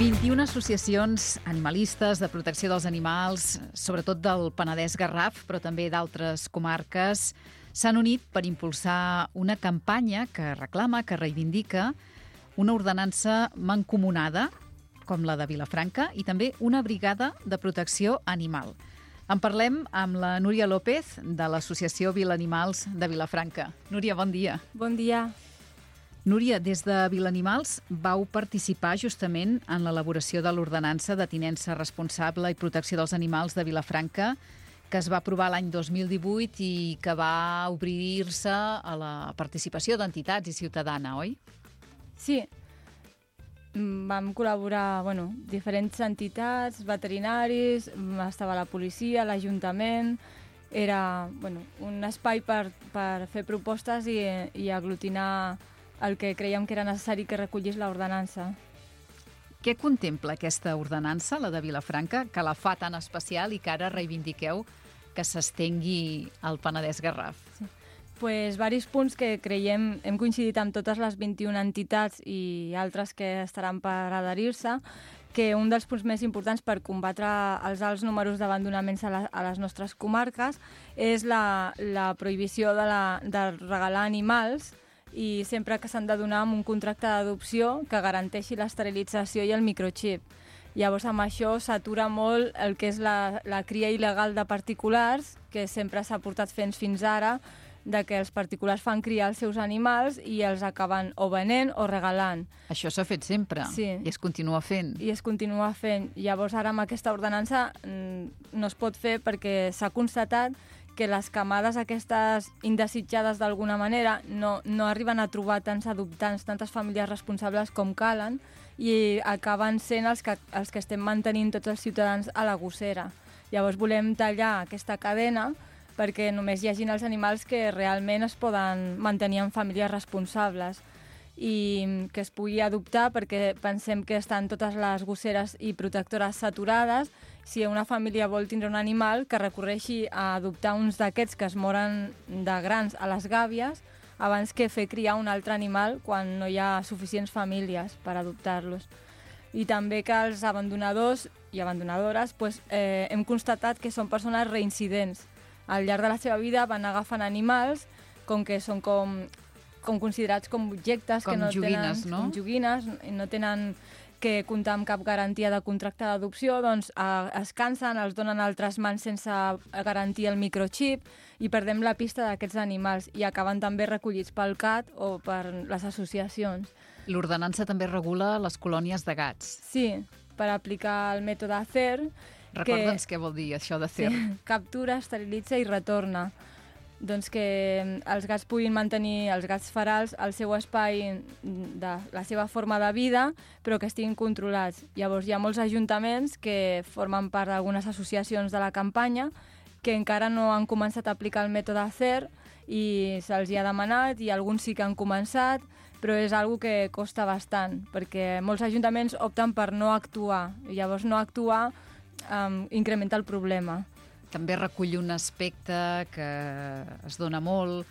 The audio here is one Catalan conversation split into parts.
21 associacions animalistes de protecció dels animals, sobretot del Penedès-Garraf, però també d'altres comarques, s'han unit per impulsar una campanya que reclama, que reivindica una ordenança mancomunada, com la de Vilafranca, i també una brigada de protecció animal. En parlem amb la Núria López, de l'Associació Vilanimals de Vilafranca. Núria, bon dia. Bon dia. Núria, des de Vilanimals vau participar justament en l'elaboració de l'ordenança de tinença responsable i protecció dels animals de Vilafranca, que es va aprovar l'any 2018 i que va obrir-se a la participació d'entitats i ciutadana, oi? Sí, vam col·laborar diferents entitats, veterinaris, estava la policia, l'Ajuntament. Era un espai per fer propostes i aglutinar el que creiem que era necessari que recollís l'ordenança. Què contempla aquesta ordenança, la de Vilafranca, que la fa tan especial i que ara reivindiqueu que s'estengui al Penedès-Garraf? Sí. Varis punts que creiem, hem coincidit amb totes les 21 entitats i altres que estaran per adherir-se, que un dels punts més importants per combatre els alts números d'abandonaments a les nostres comarques és la prohibició de regalar animals, i sempre que s'han de donar amb un contracte d'adopció que garanteixi l'esterilització i el microxip. Llavors, amb això s'atura molt el que és la cria il·legal de particulars, que sempre s'ha portat fent fins ara, de que els particulars fan criar els seus animals i els acaben o venent o regalant. Això s'ha fet sempre, sí. I es continua fent. I es continua fent. Llavors, ara amb aquesta ordenança no es pot fer perquè s'ha constatat que les camades aquestes indesitjades d'alguna manera no arriben a trobar tants adoptants, tantes famílies responsables com calen, i acaben sent els que estem mantenint tots els ciutadans a la gossera. Llavors volem tallar aquesta cadena perquè només hi hagin els animals que realment es poden mantenir en famílies responsables i que es pugui adoptar, perquè pensem que estan totes les gosseres i protectores saturades. Si una família vol tindre un animal, que recorreixi a adoptar uns d'aquests que es moren de grans a les gàbies abans que fer criar un altre animal quan no hi ha suficients famílies per adoptar-los. I també que els abandonadors i abandonadores hem constatat que són persones reincidents. Al llarg de la seva vida van agafant animals, com que són com considerats com objectes, com que no joguines, tenen, no? Com joguines, i no tenen que comptar amb cap garantia de contracte d'adopció, doncs es cansen, els donen a altres mans sense garantir el microxip i perdem la pista d'aquests animals i acaben també recollits pel CAT o per les associacions. L'ordenança també regula les colònies de gats. Sí, per aplicar el mètode CER. Recorda'ns què vol dir això de CER. Sí, captura, esterilitza i retorna. Doncs que els gats puguin mantenir, els gats ferals, el seu espai de la seva forma de vida, però que estiguin controlats. Llavors hi ha molts ajuntaments que formen part d'algunes associacions de la campanya que encara no han començat a aplicar el mètode CER i se'ls hi ha demanat i alguns sí que han començat, però és una cosa que costa bastant, perquè molts ajuntaments opten per no actuar, i llavors no actuar incrementa el problema. També recull un aspecte que es dona molt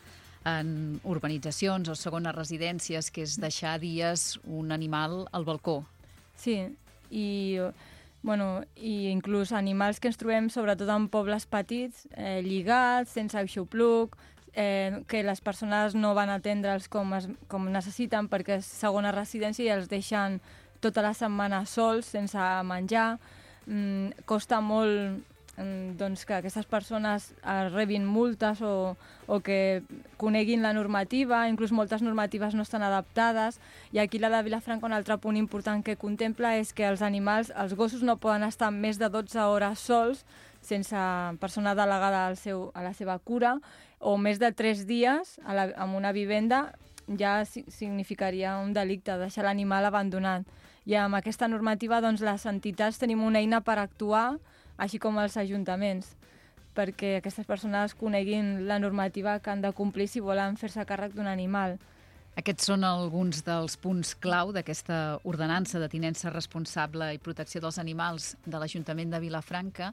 en urbanitzacions o segones residències, que és deixar dies un animal al balcó. Sí, i inclús animals que ens trobem sobretot en pobles petits, lligats, sense aixopluc, que les persones no van atendre'ls com necessiten perquè és segona residència i els deixen tota la setmana sols, sense menjar. Costa molt que aquestes persones rebin multes o que coneguin la normativa, inclús moltes normatives no estan adaptades, i aquí la de Vilafranca un altre punt important que contempla és que els animals, els gossos no poden estar més de 12 hores sols sense persona delegada a la seva cura, o més de 3 dies en una vivenda ja significaria un delicte, deixar l'animal abandonat. I amb aquesta normativa les entitats tenim una eina per actuar, així com els ajuntaments, perquè aquestes persones coneguin la normativa que han de complir si volen fer-se càrrec d'un animal. Aquests són alguns dels punts clau d'aquesta ordenança de tinença responsable i protecció dels animals de l'Ajuntament de Vilafranca.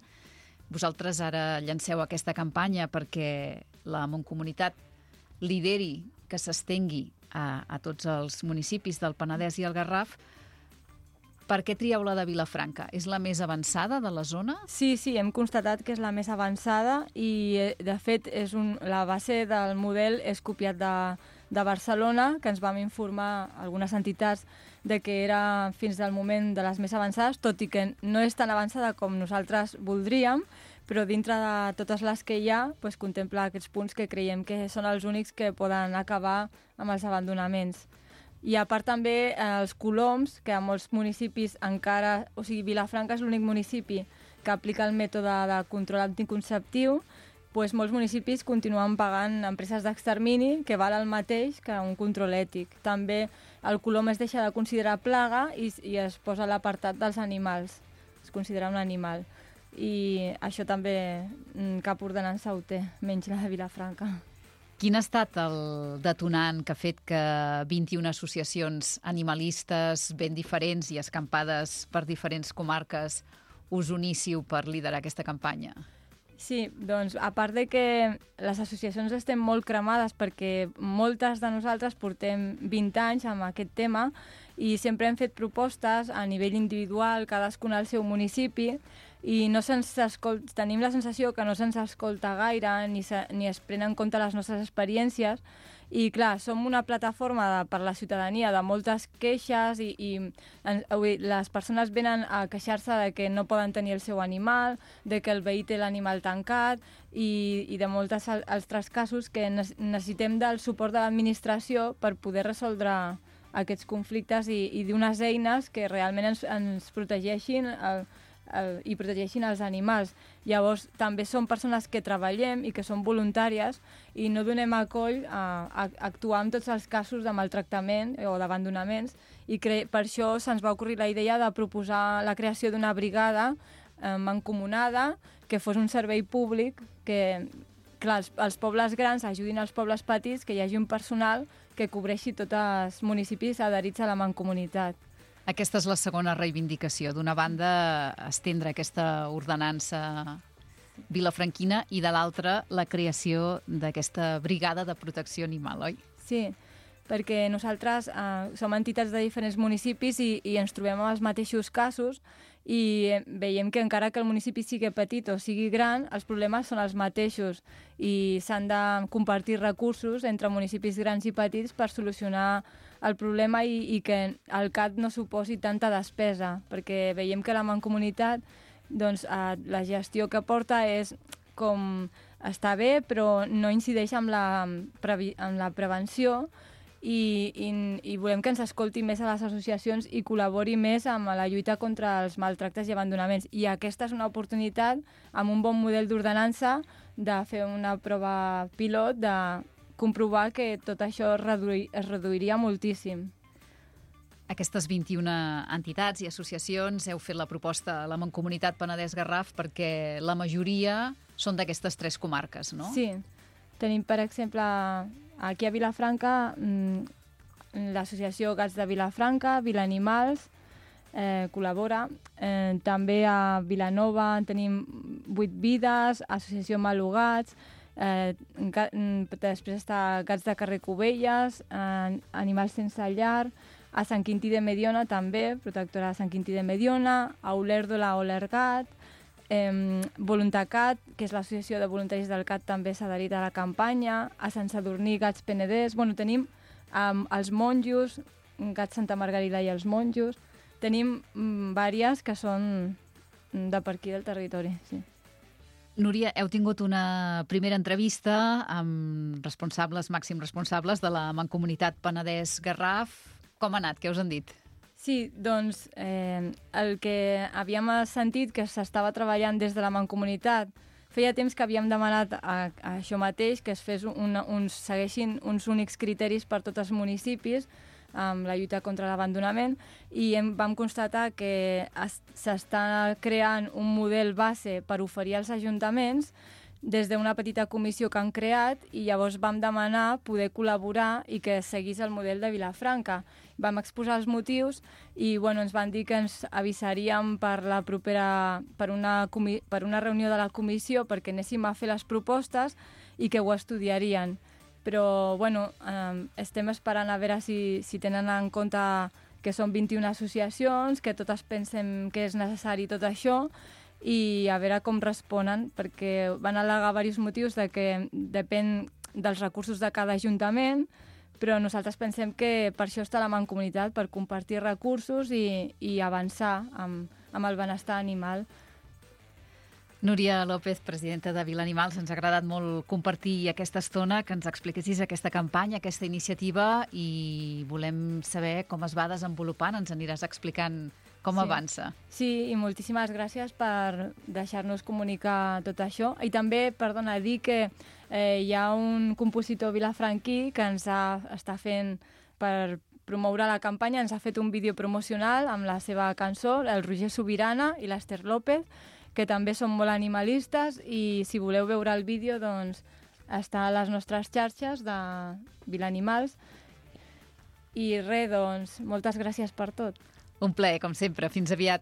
Vosaltres ara llanceu aquesta campanya perquè la Mancomunitat lideri que s'estengui a tots els municipis del Penedès i el Garraf. Per què trieu la de Vilafranca? És la més avançada de la zona? Sí, hem constatat que és la més avançada i, de fet, la base del model és copiat de Barcelona, que ens vam informar algunes entitats de que era fins al moment de les més avançades, tot i que no és tan avançada com nosaltres voldríem, però dintre de totes les que hi ha, doncs, contempla aquests punts que creiem que són els únics que poden acabar amb els abandonaments. I a part també els coloms, que a molts municipis encara... O sigui, Vilafranca és l'únic municipi que aplica el mètode de control anticonceptiu, doncs molts municipis continuen pagant empreses d'extermini que val el mateix que un control ètic. També el colom es deixa de considerar plaga i es posa a l'apartat dels animals. Es considera un animal. I això també cap ordenança ho té, menys la de Vilafranca. Quin ha estat el detonant que ha fet que 21 associacions animalistes ben diferents i escampades per diferents comarques us uníssiu per liderar aquesta campanya? Sí, doncs a part de que les associacions estem molt cremades perquè moltes de nosaltres portem 20 anys amb aquest tema i sempre hem fet propostes a nivell individual, cadascun al seu municipi, i no tenim la sensació que no se'ns escolta gaire ni es prenen en compte les nostres experiències. I clar, som una plataforma per la ciutadania de moltes queixes i les persones venen a queixar-se de que no poden tenir el seu animal, de que el veí té l'animal tancat i de molts altres casos que necessitem del suport de l'administració per poder resoldre aquests conflictes i d'unes eines que realment ens protegeixin i protegeixin els animals. Llavors, també som persones que treballem i que som voluntàries i no donem acoll a actuar en tots els casos de maltractament o d'abandonaments i per això se'ns va ocorrir la idea de proposar la creació d'una brigada mancomunada que fos un servei públic que, clar, els pobles grans ajudin als pobles petits, que hi hagi un personal que cobreixi tots els municipis adherits a la mancomunitat. Aquesta és la segona reivindicació. D'una banda, estendre aquesta ordenança vilafranquina i de l'altra, la creació d'aquesta brigada de protecció animal, oi? Sí, perquè nosaltres som entitats de diferents municipis i ens trobem amb els mateixos casos i veiem que encara que el municipi sigui petit o sigui gran, els problemes són els mateixos i s'han de compartir recursos entre municipis grans i petits per solucionar el problema i que el CAT no suposi tanta despesa, perquè veiem que la mancomunitat, doncs, la gestió que porta és com està bé, però no incideix en la prevenció i volem que ens escolti més a les associacions i col·labori més amb la lluita contra els maltractes i abandonaments. I aquesta és una oportunitat, amb un bon model d'ordenança, de fer una prova pilot, de comprovar que tot això es reduiria moltíssim. Aquestes 21 entitats i associacions heu fet la proposta a la Mancomunitat Penedès-Garraf perquè la majoria són d'aquestes 3 comarques, no? Sí. Tenim, per exemple, aquí a Vilafranca, l'associació Gats de Vilafranca, Vilanimals, col·labora. També a Vilanova tenim 8 Vides, Associació Malugats, després està Gats de Carrer Cubelles, Animals Sense Llar, a Sant Quintí de Mediona també, protectora de Sant Quintí de Mediona, a Olèrdola Olergat, Voluntacat, que és l'associació de voluntaris del CAT, també s'ha adherit a la campanya, a Sant Sadurní, Gats Penedès, tenim els monjos, Gats Santa Margarida i els monjos, tenim vàries que són de per aquí del territori, sí. Núria, heu tingut una primera entrevista amb màxims responsables de la Mancomunitat Penedès-Garraf. Com ha anat? Què us han dit? Sí, doncs el que havíem sentit que s'estava treballant des de la Mancomunitat, feia temps que havíem demanat a això mateix, que es segueixin uns únics criteris per tots els municipis amb la lluita contra l'abandonament i vam constatar que s'està creant un model base per oferir als ajuntaments des d'una petita comissió que han creat i llavors vam demanar poder col·laborar i que seguís el model de Vilafranca. Vam exposar els motius i ens van dir que ens avisaríem per una reunió de la comissió perquè anéssim a fer les propostes i que ho estudiarien. Però estem esperant a veure si tenen en compte que són 21 associacions, que totes pensem que és necessari tot això, i a veure com responen, perquè van al·legar diversos motius de que depèn dels recursos de cada ajuntament, però nosaltres pensem que per això està la Mancomunitat, per compartir recursos i avançar amb el benestar animal. Núria López, presidenta de Vila Animals, ens ha agradat molt compartir aquesta estona, que ens expliquessis aquesta campanya, aquesta iniciativa, i volem saber com es va desenvolupant. Ens aniràs explicant com avança. Sí, i moltíssimes gràcies per deixar-nos comunicar tot això. I també, perdona, dir que hi ha un compositor vilafranquí que ens està fent per promoure la campanya, ens ha fet un vídeo promocional amb la seva cançó, el Roger Subirana i l'Ester López, que també són molt animalistes, i si voleu veure el vídeo, doncs està a les nostres xarxes de Vila Animals. I res, doncs, moltes gràcies per tot. Un plaer, com sempre. Fins aviat.